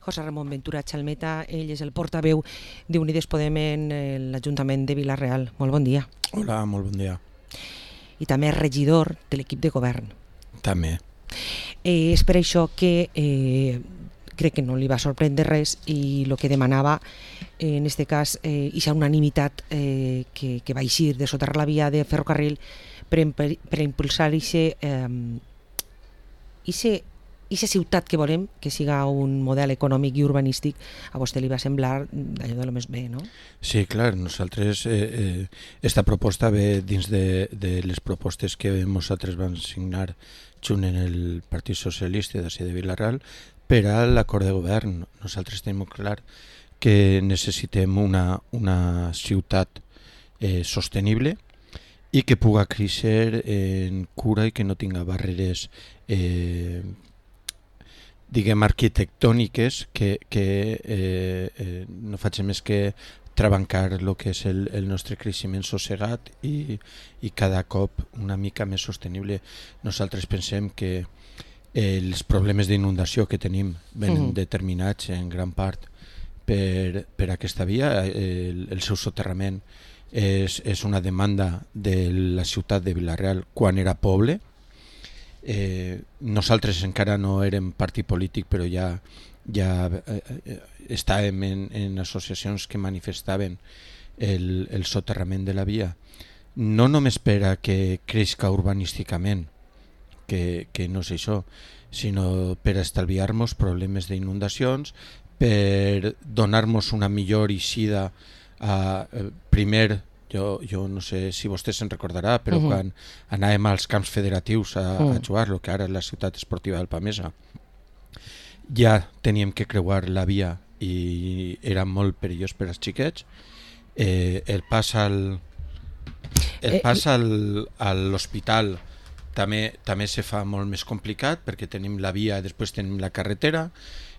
José Ramon Ventura Chalmeta, ell és el portaveu d'Unides Podem en l'Ajuntament de Vila-real. Molt bon dia. Hola, molt bon dia. I també és regidor de l'equip de govern. També. És per això que crec que no li va sorprendre res i el que demanava, en aquest cas, aquesta unanimitat que va eixir de soterrar la via de ferrocarril per impulsar aquesta ciutat que volem, que siga un model econòmic i urbanístic. A vostè li va semblar allò de lo més bé, no? Sí, clar, nosaltres esta proposta ve dins de les propostes que nosaltres vam signar junt en el Partit Socialista de Vila-real per a l'acord de govern. Nosaltres tenim clar que necessitem una ciutat sostenible i que puga créixer en cura i que no tinga barreres diguem arquitectòniques que no facin més que trabancar el que és el nostre creixement sossegat i cada cop una mica més sostenible. Nosaltres pensem que els problemes d'inundació que tenim venen determinats en gran part per aquesta via. El seu soterrament és una demanda de la ciutat de Vila-real quan era poble. Nosaltres encara no érem partit polític, però ja estàvem en associacions que manifestaven el soterrament de la via, no només per a que creixca urbanísticament, que no és això, sinó per estalviar-nos problemes d'inundacions, per donar-nos una millor eixida primer. Jo no sé si vostè se'n recordarà, però quan anàvem als camps federatius a jugar, el que ara és la ciutat esportiva del Pamesa, ja teníem que creuar la via i era molt perillós per als xiquets. El pas a l'hospital també se fa molt més complicat perquè tenim la via i després tenim la carretera.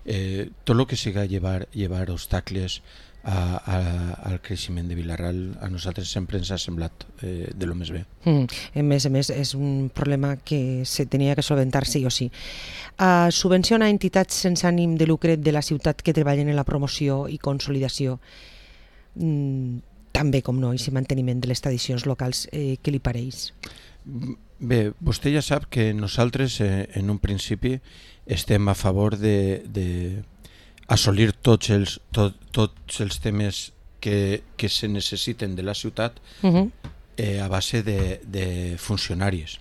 Tot el que siga llevar obstacles al creixement de Vila-real a nosaltres sempre ens ha semblat de lo més bé. A més, és un problema que se tenia que solventar sí o sí. Subvenciona entitats sense ànim de lucre de la ciutat que treballen en la promoció i consolidació, també com no, i manteniment de les tradicions locals. Què li pareix? Bé, vostè ja sap que nosaltres en un principi estem a favor de assolir tots els temes que se necessiten de la ciutat a base de funcionaris.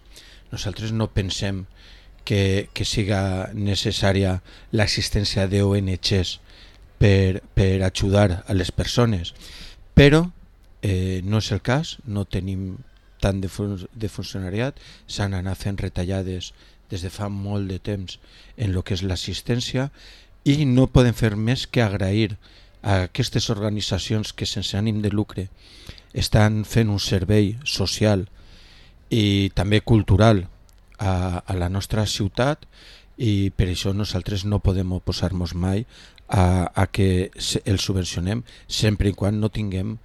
Nosaltres no pensem que siga necessària l'existència d'ONGs per ajudar a les persones, però no és el cas, no tenim tant de funcionariat, s'han anat fent retallades des de fa molt de temps en el que és l'assistència i no podem fer més que agrair a aquestes organitzacions que sense ànim de lucre estan fent un servei social i també cultural a la nostra ciutat, i per això nosaltres no podem oposar-nos mai a que els subvencionem sempre i quan no tinguem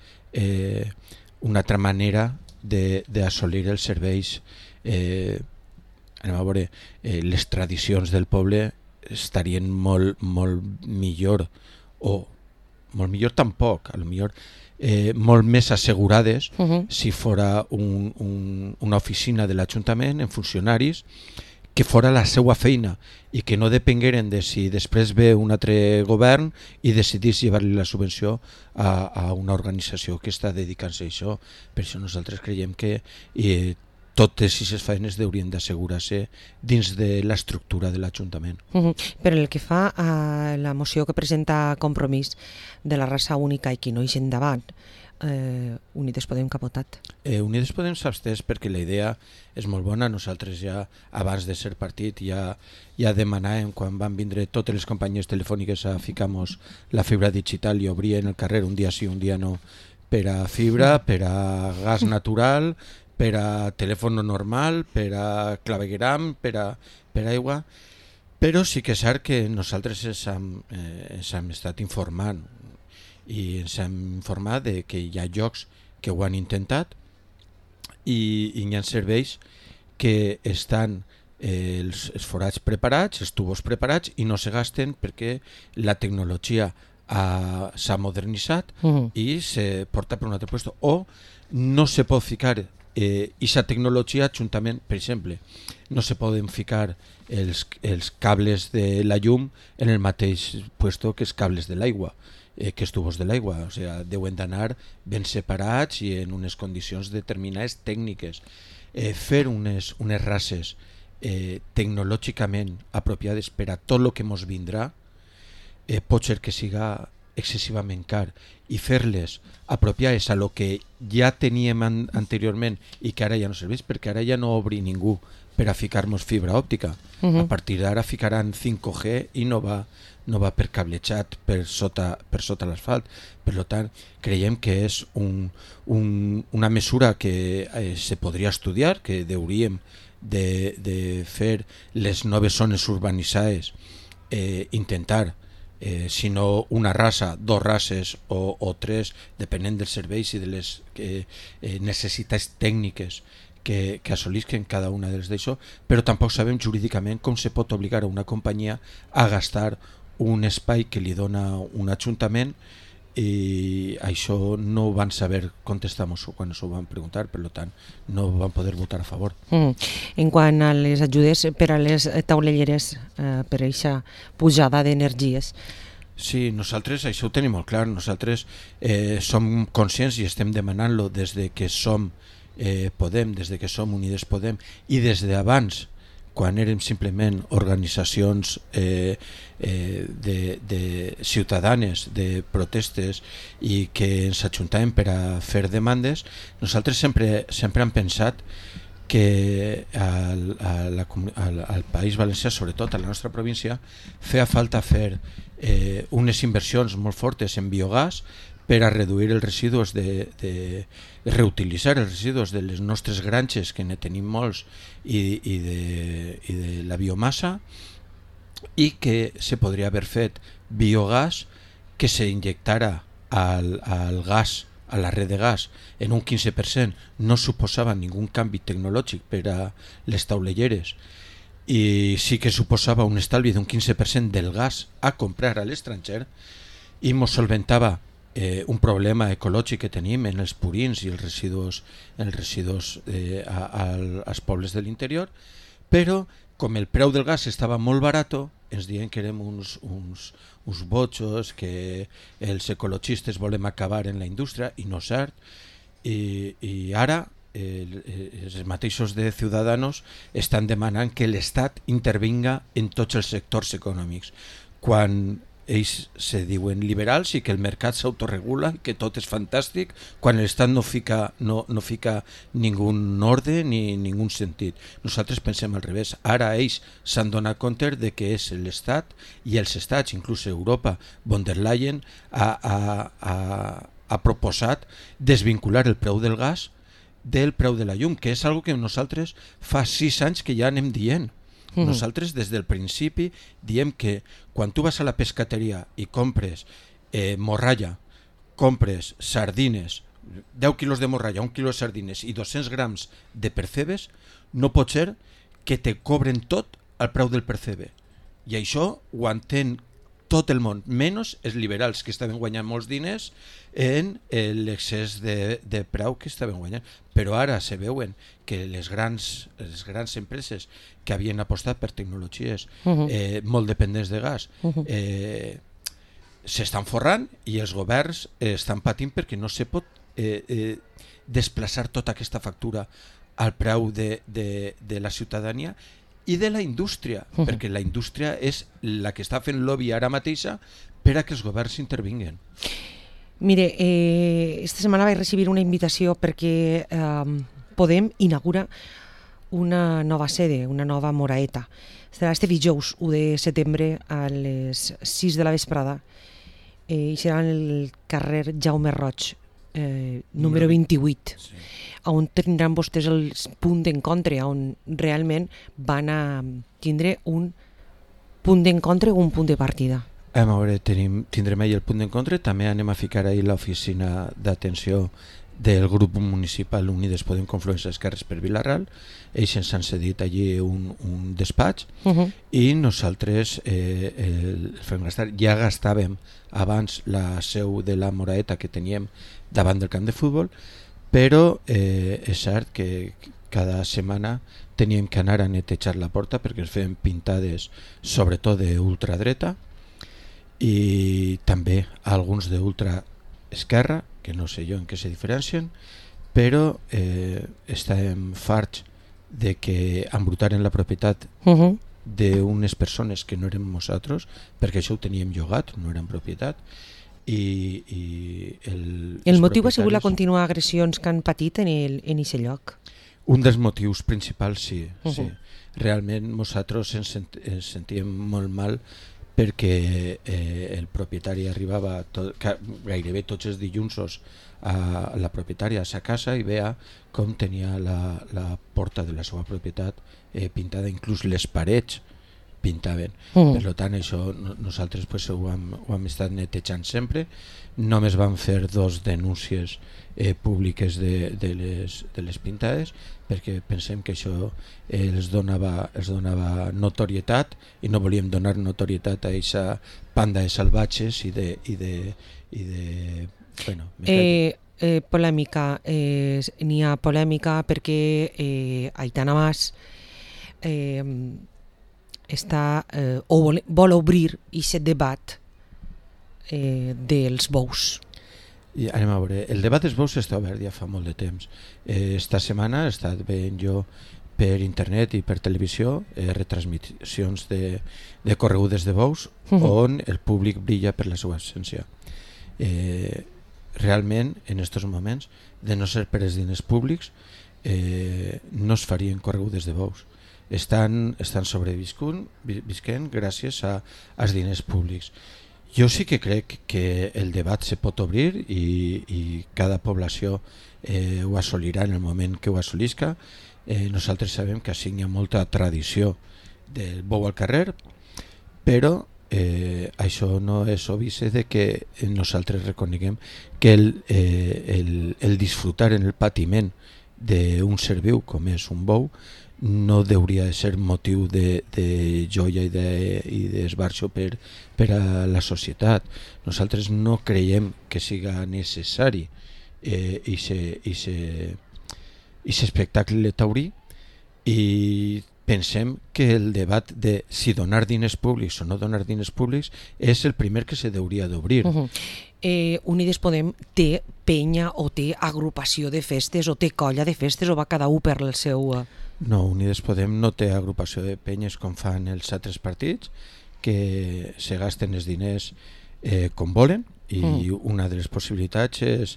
una altra manera d'assolir els serveis. Anem a veure, les tradicions del poble estarien molt millor, o molt millor tampoc, a lo millor molt més assegurades si fora una oficina de l'Ajuntament en funcionaris que fora la seva feina i que no depengueren de si després ve un altre govern i decidís llevar-li la subvenció a una organització que està dedicant-se a això. Per això nosaltres creiem que totes aquestes feines haurien d'assegurar-se dins de l'estructura de l'Ajuntament. Però el que fa a la moció que presenta Compromís de la raça única i qui no ix endavant, Unides Podem que ha votat? Unides Podem s'abstès perquè la idea és molt bona. Nosaltres ja abans de ser partit ja demanàvem, quan van vindre totes les companyies telefòniques a ficar-nos la fibra digital i obrien el carrer un dia sí, un dia no, per a fibra, per a gas natural, per a telèfon normal, per a clavegueram, per a aigua, però sí que és cert que nosaltres ens hem estat informant i ens hem informat de que hi ha llocs que ho han intentat i hi ha serveis que estan els forats preparats, els tubos preparats, i no se gasten perquè la tecnologia s'ha modernitzat i se porta per un altre lloc, o no se pot ficar aquesta tecnologia juntament. Per exemple, no se poden ficar els cables de la llum en el mateix lloc que els cables de l'aigua, que els tubos de l'aigua, o sigui, deuen d'anar ben separats i en unes condicions determinades tècniques. Fer unes races tecnològicament apropiades per a tot el que ens vindrà, pot ser que siga excessivament car, i fer-les apropiades a lo que ja teníem anteriorment i que ara ja no serveix, perquè ara ja no obri ningú per a ficar-nos fibra òptica. A partir d'ara ficaran 5G i no va per cablejat per sota l'asfalt. Per tant, creiem que és una mesura que se podria estudiar, que hauríem de fer les noves zones urbanitzades, intentar, si no una raça, dos races o tres, depenent dels serveis i de les necessitats tècniques que assolisquen cada una dels d'això, però tampoc sabem jurídicament com se pot obligar a una companyia a gastar un espai que li dona un ajuntament, i això no ho van saber contestar-nos quan s'ho van preguntar, per tant no van poder votar a favor. En quant a les ajudes per a les taulelleres, per a aquesta pujada d'energies, sí, nosaltres això ho tenim molt clar. Nosaltres som conscients i estem demanant-lo des de que som Podem, des de que som Unides Podem, i des d'abans, quan érem simplement organitzacions de ciutadanes, de protestes, i que ens ajuntàvem per a fer demandes. Nosaltres sempre hem pensat que al País Valencià, sobretot a la nostra província, feia falta fer unes inversions molt fortes en biogàs per a reduir els residus, de reutilitzar els residus de les nostres granges, que ne tenim molts, i de la biomassa, i que se podria haver fet biogàs que s'injectara al gas, a la red de gas, en un 15%. No suposava ningú canvi tecnològic per a les taulelleres, i sí que suposava un estalvi d'un 15% del gas a comprar a l'estranger, i ens solventava un problema ecològic que tenim en els purins i els residus als pobles de l'interior. Però com el preu del gas estava molt barat, ens diuen que érem uns bojos, que els ecologistes volem acabar en la indústria, i no és cert. I ara els mateixos de Ciudadanos estan demanant que l'Estat intervinga en tots els sectors econòmics, quan ells se diuen liberals i que el mercat s'autoregula, que tot és fantàstic, quan l'Estat no fica ningú ordre ni ningú sentit. Nosaltres pensem al revés. Ara ells s'han donat compte de que és l'Estat i els estats, inclús Europa. Von der Leyen ha proposat desvincular el preu del gas del preu de la llum, que és algo que nosaltres fa 6 anys que ja anem dient. Nosaltres des del principi diem que quan tu vas a la pescateria i compres morralla, compres sardines, 10 quilos de morralla, 1 quilo de sardines i 200 grams de percebes, no pot ser que te cobren tot al preu del percebe. I això ho entén tot el món, menys els liberals, que estaven guanyant molts diners en l'excés de preu que estaven guanyant. Però ara se veuen que les grans empreses que havien apostat per tecnologies molt dependents de gas s'estan forrant, i els governs estan patint perquè no se pot desplaçar tota aquesta factura al preu de la ciutadania i de la indústria, perquè la indústria és la que està fent lobby ara mateixa per a que els governs intervinguen. Mire, esta setmana vaig recibir una invitació perquè Podem inaugura una nova sede, una nova moraeta. Serà este dijous 1 de setembre a les 6 de la vesprada, i serà en el carrer Jaume Roig, número 28, sí, on tindran vostès el punt d'encontre, on realment van a tindre un punt d'encontre o un punt de partida. A veure, tindrem ahir el punt d'encontre, també anem a ficar ahir l'oficina d'atenció del grup municipal Unides Podem Confluència Esquerres per Vila-ral. Ells ens han cedit allí un despatx i nosaltres el Fem Gastar ja gastàvem abans la seu de la Moraeta que teníem davant del camp de futbol, però és cert que cada setmana teníem que anar a netejar la porta perquè es feien pintades sobretot d'ultradreta i també alguns d'ultraesquerra, que no sé jo en què se diferencien, però estàvem farts de que embrutaren la propietat d'unes persones que no érem nosaltres, perquè això ho teníem llogat, no eren propietat, i el motiu ha sigut la contínua agressions que han patit en aquest lloc. Un dels motius principals, sí. Realment nosaltres ens sentíem molt mal perquè el propietari arribava gairebé tots els dilluns a la propietària a sa casa i veia com tenia la porta de la seva propietat pintada, inclús les parets pintaven. Per tant, això nosaltres ho hem estat netejant sempre. Només vam fer 2 denúncies públiques de les pintades perquè pensem que això els donava notorietat i no volíem donar notorietat a aquesta panda de salvatges i de polèmica. N'hi ha polèmica perquè Aitana Mas vol obrir aquest debat dels bous. I anem a veure, el debat dels bous està obert ja fa molt de temps. Esta setmana he estat veient jo per internet i per televisió retransmissions de corregudes de bous on el públic brilla per la seva essència. Realment, en aquests moments, de no ser per els diners públics, no es farien corregudes de bous. Estan sobrevisquent gràcies als diners públics. Jo sí que crec que el debat se pot obrir i cada població ho assolirà en el moment que ho assolisca. Nosaltres sabem que així hi ha molta tradició del bou al carrer, però això no és obvi de que nosaltres reconeguem que el disfrutar en el patiment d'un ser viu com és un bou no hauria de ser motiu de joia i d'esbarjo per a la societat. Nosaltres no creiem que siga necessari aquest espectacle taurí i pensem que el debat de si donar diners públics o no donar diners públics és el primer que se hauria d'obrir. Unides Podem té penya o té agrupació de festes o té colla de festes o va cada un per el seu... No, Unides Podem no té agrupació de penyes com fan els altres partits, que se gasten els diners com volen i una de les possibilitats és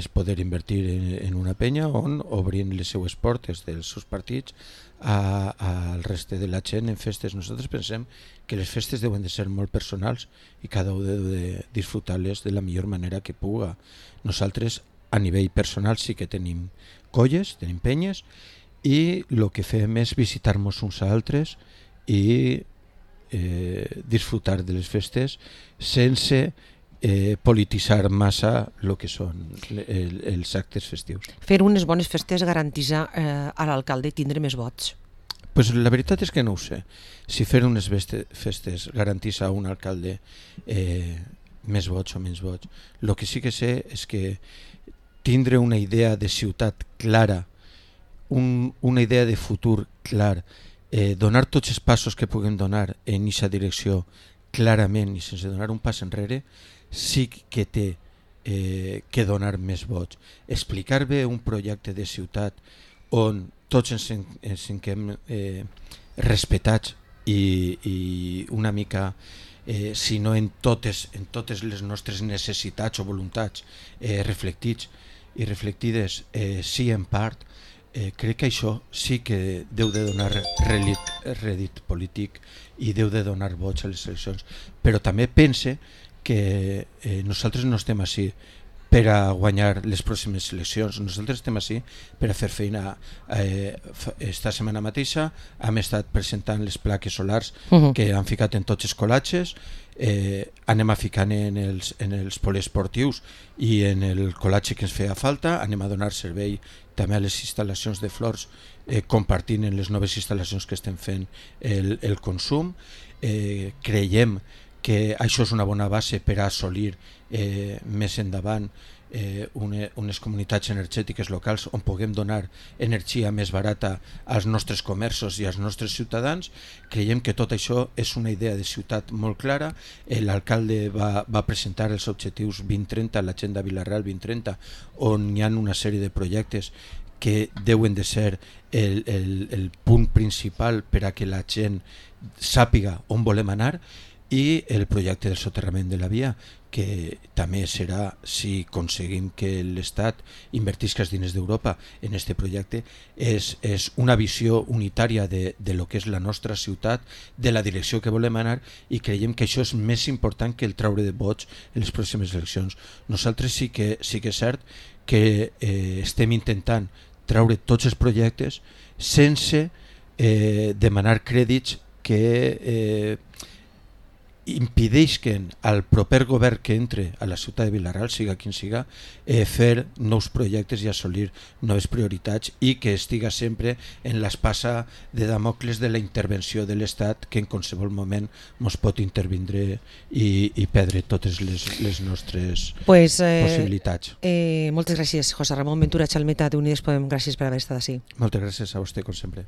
poder invertir en una penya on obrin les seues portes dels seus partits al reste de la gent en festes. Nosaltres pensem que les festes deuen de ser molt personals i cada un deu de disfrutar-les de la millor manera que puga. Nosaltres a nivell personal sí que tenim colles, tenim penyes i el que fem és visitar-nos uns a altres i disfrutar de les festes sense polititzar massa el que són els actes festius. Fer unes bones festes garantitza a l'alcalde tindre més vots? Pues la veritat és que no ho sé. Si fer unes festes garantitza a un alcalde més vots o menys vots. El que sí que sé és que tindre una idea de ciutat clara, una idea de futur clar, donar tots els passos que puguem donar en aquesta direcció clarament i sense donar un pas enrere, sí que té que donar més vots. Explicar bé un projecte de ciutat on tots ens sentim respetats i una mica, si no en totes les nostres necessitats o voluntats reflectides, sí en part, crec que això sí que deu de donar rèdit polític i deu de donar vots a les eleccions, però també pense que nosaltres no estem així per a guanyar les pròximes eleccions. Nosaltres estem així per a fer feina. Esta setmana mateixa hem estat presentant les plaques solars que han ficat en tots els col·latges. Anem a ficar en els poliesportius i en el col·latge que ens feia falta. Anem a donar servei també a les instal·lacions de flors, compartint en les noves instal·lacions que estem fent el consum. Creiem que això és una bona base per a assolir més endavant unes comunitats energètiques locals on puguem donar energia més barata als nostres comerços i als nostres ciutadans. Creiem que tot això és una idea de ciutat molt clara. L'alcalde va presentar els objectius 2030, l'agenda Vila-real 2030, on hi ha una sèrie de projectes que deuen de ser el punt principal per a que la gent sàpiga on volem anar, i el projecte del soterrament de la via, que també serà, si aconseguim que l'Estat invertisca els diners d'Europa en aquest projecte, és una visió unitària de lo que és la nostra ciutat, de la direcció que volem anar, i creiem que això és més important que el traure de vots en les pròximes eleccions. Nosaltres sí que és cert que estem intentant traure tots els projectes sense demanar crèdits que impedeixen al proper govern que entre a la ciutat de Vila-real, siga quin siga, fer nous projectes i assolir noves prioritats, i que estiga sempre en l'espasa de Damocles de la intervenció de l'Estat, que en qualsevol moment ens pot intervindre i perdre totes les nostres possibilitats. Moltes gràcies, José Ramon Ventura Chalmeta d'Unides Podem. Gràcies per haver estat així. Moltes gràcies a vostè, com sempre.